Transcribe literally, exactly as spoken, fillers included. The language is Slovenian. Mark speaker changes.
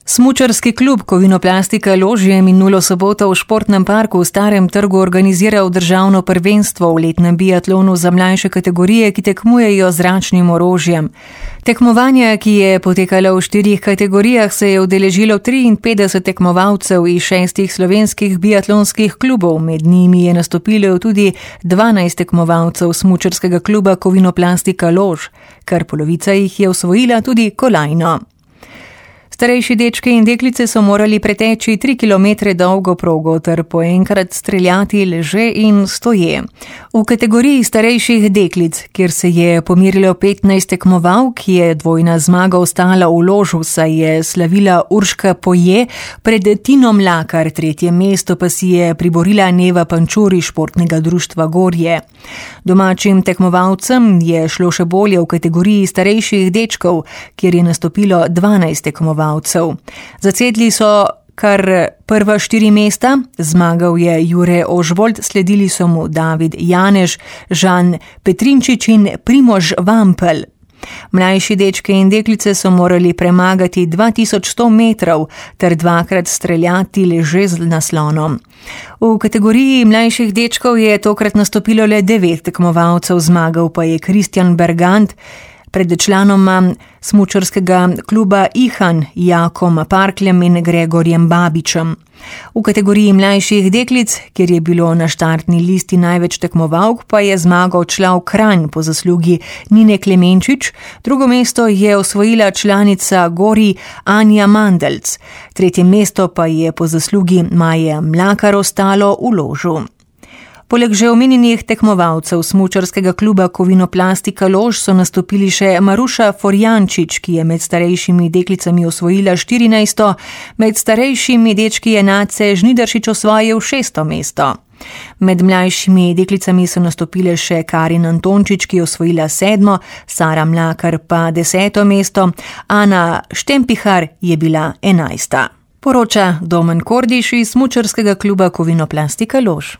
Speaker 1: Smučarski klub Kovinoplastika Lož je minulo soboto v športnem parku v Starem trgu organiziral državno prvenstvo v letnem biatlonu za mlajše kategorije, ki tekmujejo z zračnim orožjem. Tekmovanja, ki je potekalo v štirih kategorijah, se je udeležilo triinpetdeset tekmovalcev iz šestih slovenskih biatlonskih klubov, med njimi je nastopilo tudi dvanajst tekmovalcev smučarskega kluba Kovinoplastika Lož, kar polovica jih je osvojila tudi kolajno. Starejši dečki in deklice so morali preteči tri kilometre dolgo progo ter po enkrat streljati leže in stoje. V kategoriji starejših deklic, kjer se je pomerilo petnajst tekmovalk, je dvojna zmaga ostala v Ložu, saj je slavila Urška Poje pred Tino Mlakar, tretje mesto pa si je priborila Neva Pančur iz športnega društva Gorje. Domačim tekmovalcem je šlo še bolje v kategoriji starejših dečkov, kjer je nastopilo dvanajst tekmovalcev. Zacedli so kar prva štiri mesta, zmagal je Jure Ožbolt, sledili so mu David Janež, Žan Petrinčič in Primož Vampel. Mlajši dečke in deklice so morali premagati dva tisoč sto metrov ter dvakrat streljati leže z naslonom. V kategoriji mlajših dečkov je tokrat nastopilo le devet tekmovalcev, zmagal pa je Kristjan Bergant pred članoma smučarskega kluba Ihan, Jakom Parkljem in Gregorjem Babičem. V kategoriji mlajših deklic, kjer je bilo na štartni listi največ tekmovalk, pa je zmagal Člav Kranj po zaslugi Nine Klemenčič, drugo mesto je osvojila članica Gori Anja Mandelc, tretje mesto pa je po zaslugi Maje Mlakar ostalo v Ložu. Poleg že omenjenih tekmovalcev smučarskega kluba Kovinoplastika Lož so nastopili še Maruša Forjančič, ki je med starejšimi deklicami osvojila štirinajsto, med starejšimi dečki je Nace Žnidaršič osvojil šesto mesto. Med mlajšimi deklicami so nastopile še Karin Antončič, ki je osvojila sedmo, Sara Mlakar pa deseto mesto, Ana Štempihar je bila enajsta. Poroča Domen Kordiš iz smučarskega kluba Kovinoplastika Lož.